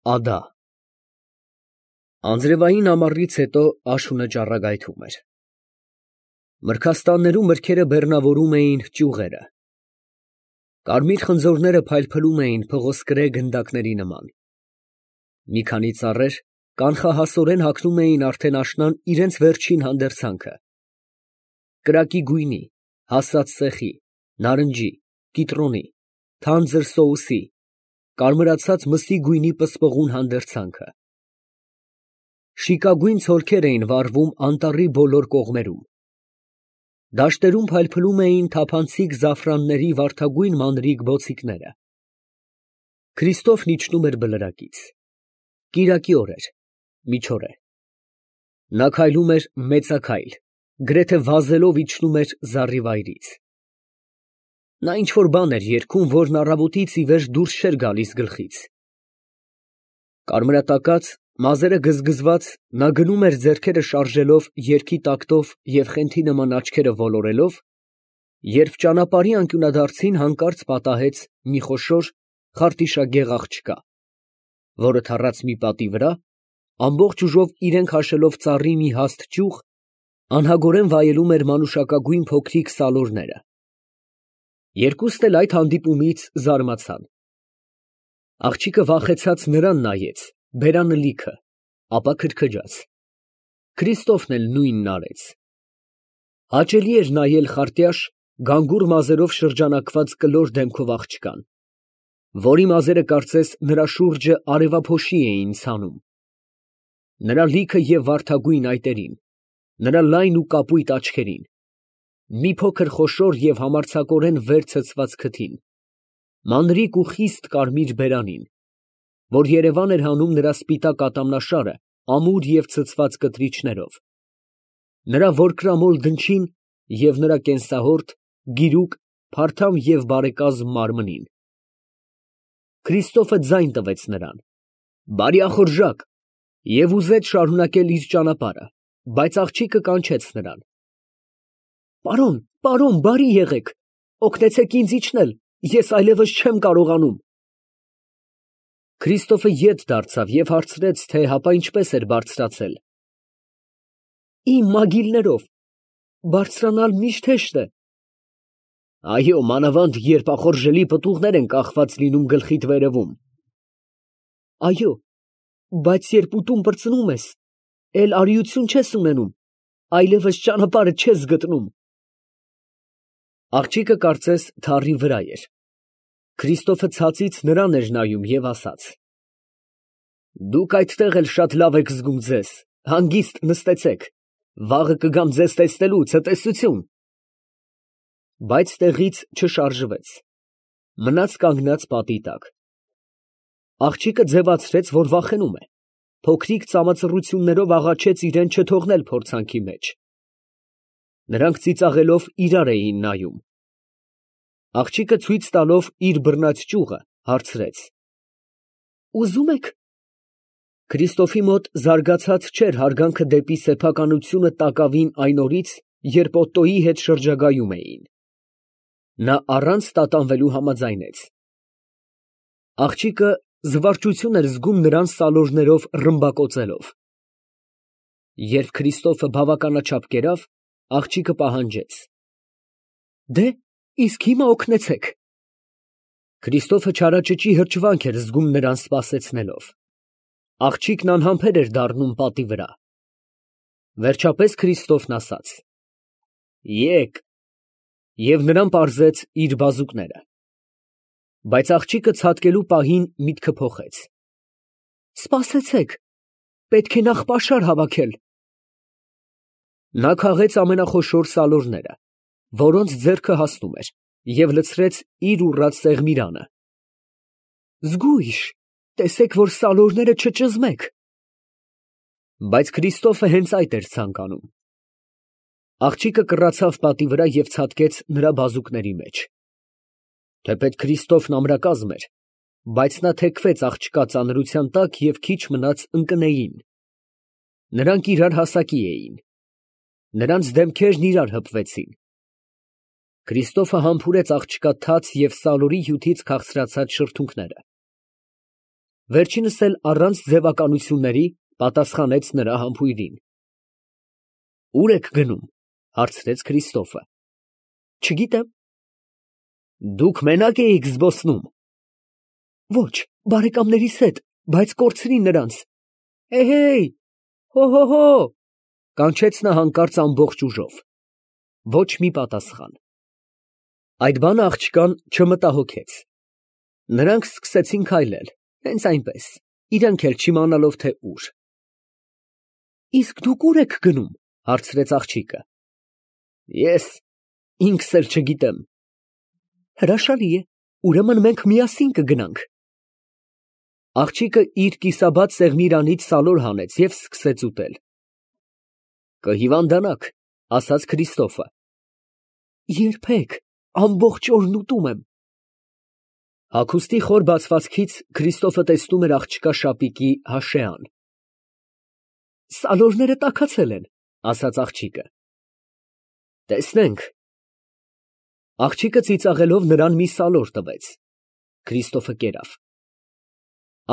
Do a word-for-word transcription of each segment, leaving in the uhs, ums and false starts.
Ադա Անձրևային ամառից հետո աշունը ճառագայթում էր։ Մրգաստաններում մրգերը բեռնավորում էին ճյուղերը։ Կարմիր խնձորները փայլփլում էին փղոսկրե գնդակների նման։ Մի քանի ծառեր կանխահասորեն հագնում էին արդեն աշնան իրենց վերջին հանդերձանքը։ Կրակի գույնի, հասած սեխի, նարնջի, կիտրոնի, թանձր սոուսի, կարմրացած մսի գույնի պսպղուն հանդերձանքը։ Շիկագույն ցոլքեր էին վառվում անտառի բոլոր կողմերում։ Դաշտերում փայլփլում էին թափանցիկ զաֆրանների վարդագույն մանրիկ բոցիկները։ Քրիստոֆն իջնում էր բլրակից։ Կիրակի օր էր, միջօր է։ Նա քայլում էր մեծաքայլ, գրեթե վազելով իջնում էր զառիվայրից։ Նա ինչ֊որ բան էր երգում, որն առավոտից ի վեր դուրս չէր գալիս գլխից։ Կարմրատակած, մազերը գզգզված, նա գնում էր ձեռքերը շարժելով երգի տակտով և խենթի նման աչքերը ոլորելով, երբ ճանապարհի անկյունադարձին հանկարծ պատահեց մի խոշոր խարտիշագեղ աղջկա, որը թռած մի պատի վրա, ամբողջ ուժով իրեն քաշելով ծառի մի հաստ ճյուղ, անհագորեն վայելում էր մանուշակագույն փոքրիկ սալորները։ Երկուսն էլ այդ հանդիպումից զարմացան։ Աղջիկը վախեցած նրան նայեց, բերանը լիքը, ապա քրքջաց։ Քրիստոֆն էլ նույնն արեց։ Հաճելի էր նայել խարտյաշ, գանգուր մազերով շրջանակված կլոր դեմքով աղջկան, որի մազերը կարծես նրա շուրջը արևափոշի էին ցանում։ Նրա լիքը և վարդագույն այտերին, նրա լայն ու կապույտ աչքերին, մի փոքր խոշոր և համարձակորեն վեր ցցված քթին, մանրիկ ու խիստ կարմիր բերանին, որ երևան էր հանում նրա սպիտակ ատամնաշարը ամուր և ցցված կտրիչներով, նրա որկրամոլ դնչին և նրա կենսահորդ, գիրուկ, փարթամ և բարեկազմ մարմնին։ Քրիստոֆը ձայն տվեց նրան, բարյախորժակ, և ուզեց շարունակել իր ճանապարհը, բայց աղջիկը կանչեց նրան. Պարոն, պարոն, բարի եղեք, օգնեցեք ինձ իջնել, ես այլևս չեմ կարողանում։ Քրիստոֆը ետ դարձավ և հարցրեց, թե հապա ինչպես էր բարձրացել։ Իմ մագիլներով, բարձրանալ միշտ հեշտ է։ Այո, մանավանդ երբ ախորժելի պտուղներ են կախված լինում գլխիդ վերևում։ Այո, բայց երբ ուտում պրծնում ես, էլ արիություն չես ունենում, այլևս ճանապարհը չես գտնում։ Աղջիկը կարծես թառի վրա էր։ Քրիստոֆը ցածից նրան էր նայում և ասաց. Դուք այդտեղ էլ շատ լավ եք զգում ձեզ, հանգիստ նստեցեք, վաղը կգամ ձեզ տեսնելու, ցտեսություն։ Բայց տեղից չշարժվեց, մնաց կանգնած պատի տակ։ Աղջիկը ձևացրեց, որ վախենում է, փոքրիկ ծամածռություններով աղաչեց իրան չթողնել փորձանքի մեջ։ Նրանք ծիծաղելով իրար էին նայում։ Աղջիկը ցույց տալով իր բռնած ճյուղը, հարցրեց. Ուզում եք։ Քրիստոֆի մոտ զարգացած չէր հարգանքը դեպի սեփականությունը տակավին այն օրից, երբ Օտտոյի հետ շրջագայում էին։ Նա առանց տատանվելու համաձայնեց։ Աղջիկը զվարճություն էր զգում նրան սալորներով ռմբակոծելով։ Երբ Քրիստոֆը բավականաչափ կերավ, աղջիկը պահանջեց. Դե, իսկ հիմա օգնեցեք։ Քրիստոֆը չարաճճի հրճվանք էր զգում նրան սպասեցնելով։ Աղջիկն անհամբեր էր դառնում պատի վրա։ Վերջապես Քրիստոֆն ասաց. Եկ, և նրան պարզեց իր բազուկները։ Բայց աղջիկը ցատկելու պահին միտքը փոխեց. Սպասեցեք, պետք է նախ պաշար հավաքել։ Նա քաղեց ամենախոշոր սալորները, որոնց ձեռքը հասնում էր, և լցրեց իր ուռած սեղմիրանը։ Զգույշ, տեսեք, որ սալորները չճզմեք։ Բայց Քրիստոֆը հենց այդ էր ցանկանում։ Աղջիկը կռացավ պատի վրա և ցատկեց նրա բազուկների մեջ։ Թեպետ Քրիստոֆն ամրակազմ էր, բայց նա թեքվեց աղջկա ծանրության տակ և քիչ մնաց ընկնեին։ Նրանք իրար հասակի էին։ Նրանց դեմքերն իրար հպվեցին։ Քրիստոֆը համբուրեց աղջկա թաց և սալորի հյութից քաղցրացած շրթունքները։ Վերջինս էլ առանց ձևականությունների պատասխանեց նրա համբույրին։ Ո՞ւր եք գնում, հարցրեց Քրիստոֆը։ Չգիտեմ։ Դուք մենակ էիք զբոսնում։ Ոչ, բարեկամներիս հետ, բայց կորցրի նրանց։ Հեյ, հո-հո-հո, կանչեց նա հանկարծ ամբողջ ուժով։ Ոչ մի պատասխան։ Այդ բանը աղջկան չմտահոգեց։ Նրանք սկսեցին քայլել, հենց այնպես, իրենք էլ չիմանալով թե ուր։ Իսկ դուք ուր եք գնում, հարցրեց աղջիկը։ Ես ինքս էլ չգիտեմ։ Հրաշալի է, ուրեմն մենք միասին կգնանք։ Աղջիկը իր կիսաբաց սեղմիրանից սալոր հանեց և սկսեց ուտել։ Կհիվանդանաք, ասաց Քրիստոֆը։ Երբեք, ամբողջ օրն ուտում եմ։ Հագուստի խոր բացվածքից Քրիստոֆը տեսնում էր աղջկա շապիկի հաշեան։ Սալորները տաքացել են, ասաց աղջիկը։ Տեսնենք։ Աղջիկը ծիծաղելով նրան մի սալոր տվեց։ Քրիստոֆը կերավ։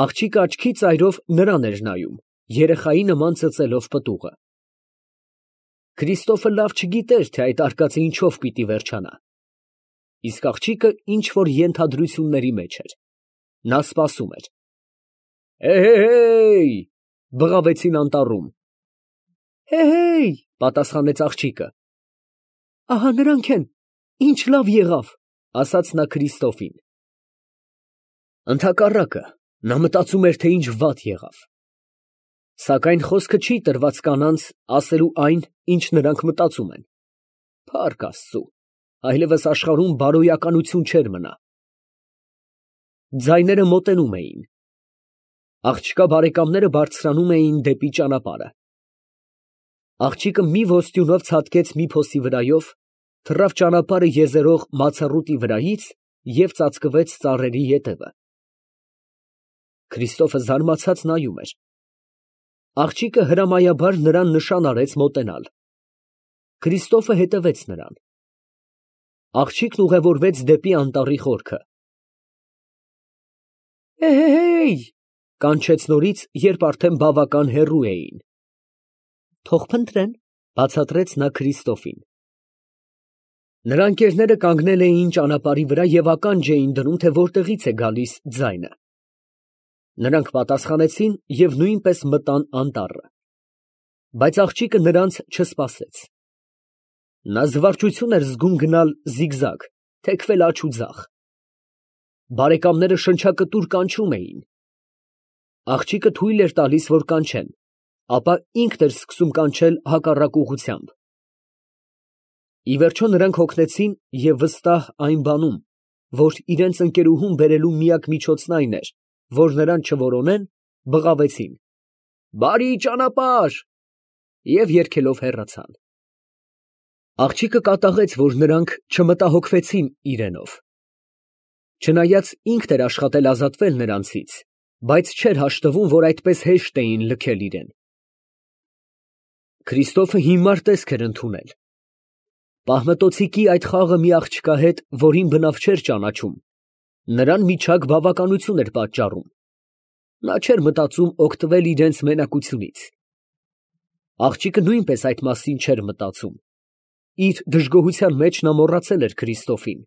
Աղջիկը աչքի ծայրով նրան էր նայում, երեխայի նման ծծելով պտուղը։ Քրիստոֆը լավ չգիտեր, թե այդ արկածը ինչով պիտի վերջանա։ Իսկ աղջիկը ինչ-որ ենթադրությունների մեջ էր։ Նա սպասում էր։ Հեյ, բղավեցին անտառում։ Հեյ, պատասխանեց աղջիկը։ Ահա նրանք են, ինչ լավ եղավ, ասաց նա Քրիստոֆին։ Ընդհակառակը, նա մտածում էր, թե ինչ վատ եղավ։ Սակայն խոսքը չի տրված կանանց ասելու այն, ինչ նրանք մտածում են։ Փառք Աստծու, այլևս աշխարհում բարոյականություն չէր մնա։ Ձայները մոտենում էին։ Աղջկա բարեկամները բարձրանում էին դեպի ճանապարհը։ Աղջիկը մի ոստյունով ցատկեց մի փոսի վրայով, թռավ ճանապարհը եզերող մացառուտի վրայից և ծածկվեց ծառերի ետևը։ Քրիստոֆը զարմացած նայում էր։ Աղջիկը հրամայաբար նրան նշան արեց մոտենալ։ Քրիստոֆը հետևեց նրան։ Աղջիկն ուղևորվեց դեպի անտառի խորքը։ Հեյ, կանչեց նորից, երբ արդեն բավական հեռու էին։ Թող փնտրեն, բացատրեց նա Քրիստոֆին։ Նրա ընկերները կանգնել էին ճանապարհի վրա և ականջ էին դնում, թե որտեղից է գալիս ձայնը։ Նրանք պատասխանեցին և նույնպես մտան անտառը։ Բայց աղջիկը նրանց չսպասեց։ Նա զվարճություն էր զգում գնալ զիգզագ, թեքվել աջ ու ձախ։ Բարեկամները շնչակտուր կանչում էին։ Աղջիկը թույլ էր տալիս, որ կանչեն, ապա ինքն էր սկսում կանչել հակառակ ուղղությամբ։ Ի վերջո նրանք հոգնեցին և վստահ այն բանում, որ իրենց ընկերուհուն բերելու միակ միջոցն այն էր, որ նրան չորոնեն, բղավեցին. «Բարի ճանապարհ» և երգելով հեռացան։ Աղջիկը կատաղեց, որ նրանք չմտահոգվեցին իրենով։ Չնայած ինքն էր աշխատել ազատվել նրանցից, բայց չէր հաշտվում, որ այդպես հեշտ էին լքել իրեն։ Քրիստոֆը հիմար տեսք էր ընդունել։ Պահմտոցիկի այդ խաղը մի աղջկա հետ, որին բնավ չէր ճանաչում, նրան միջակ բավականություն էր պատճառում։ Նա չէր մտածում օգտվել իրենց մենակությունից։ Աղջիկը նույնպես այդ մասին չէր մտածում։ Իր դժգոհության մեջ նա մոռացել էր Քրիստոֆին։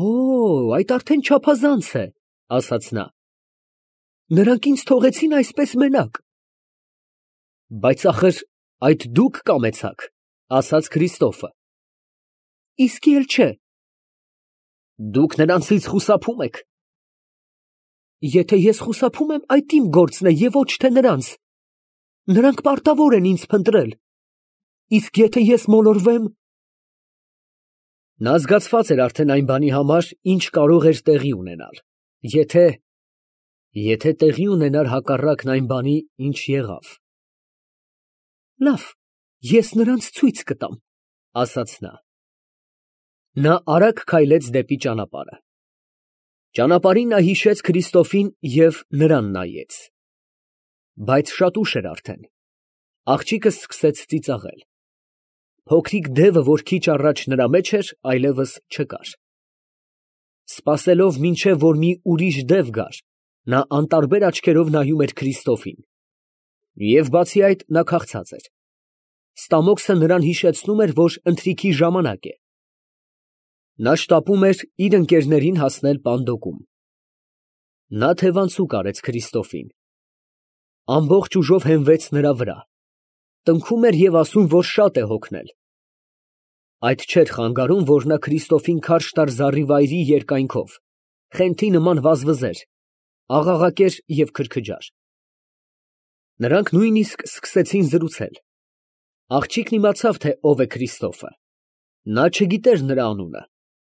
Օ, այդ արդեն չափազանց է, ասաց նա։ Նրանք ինձ թողեցին այսպես մենակ։ Բայց ախր այդ դուք կամեցաք, ասաց Քրիստոֆը։ Իսկի էլ չէ։ Դուք նրանցից խուսափում եք։ Եթե ես խուսափում եմ, այդ իմ գործն է և ոչ թե նրանց։ Նրանք պարտավոր են ինձ փնտրել։ Իսկ եթե ես մոլորվեմ… Նա զգացված էր արդեն այն բանի համար, ինչ կարող էր տեղի ունենալ, եթե… եթե տեղի ունենար հակառակն այն բանի, ինչ եղավ։ Լավ, ես նրանց ցույց կտամ, ասաց նա։ Նա արագ քայլեց դեպի ճանապարհը։ Ճանապարհին նա հիշեց Քրիստոֆին և նրան նայեց։ Բայց շատ ուշ էր արդեն։ Աղջիկը սկսեց ծիծաղել։ Փոքրիկ դևը, որ քիչ առաջ նրա մեջ էր, այլևս չկար։ Սպասելով, մինչև որ մի ուրիշ դև գար, Նա անտարբեր աչքերով նայում էր Քրիստոֆին։ Եվ բացի այդ, նա քաղցած էր։ Ստամոքսը նրան հիշեցնում էր, որ ընթրիքի ժամանակ է։ Նա շտապում էր իր ընկերներին հասնել պանդոկում։ Նա թևանցուկ արեց Քրիստոֆին։ Ամբողջ ուժով հենվեց նրա վրա։ Տնքում էր և ասում, որ շատ է հոգնել։ Այդ չէր խանգարում, որ նա Քրիստոֆին քարշ տար զառիվայրի երկայնքով, խենթի նման վազվզեր, աղաղակեր և քրքջար։ Նրանք նույնիսկ սկսեցին զրուցել։ Աղջիկն իմացավ, թե ով է Քրիստոֆը։ Նա չգիտեր նրա անունը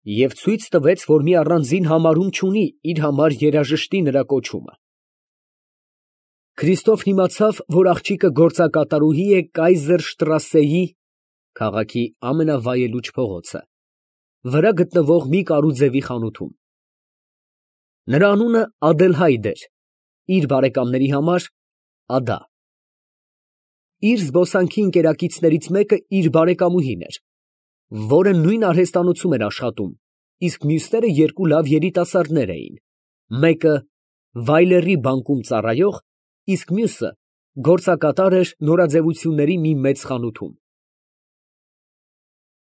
և ցույց տվեց, որ մի առանձին համարում չունի իր համար երաժշտի նրա կոչումը։ Քրիստոֆն իմացավ, որ աղջիկը գործակատարուհի է Կայզերշտրասեի (քաղաքի ամենավայելուչ փողոցը) վրա գտնվող մի կարուձևի խանութում։ Նրա անունը Ադելհայդ էր, իր բարեկամների համար՝ Ադա։ Իր զբոսանքի ընկերակիցներից մեկը իր բարեկամուհին էր, որը նույն արհեստանոցում էր աշխատում, իսկ մյուսները երկու լավ երիտասարդներ էին, մեկը վայլեռի բանկում ծառայող, իսկ մյուսը գործակատար էր նորաձևությունների մի մեծ խանութում։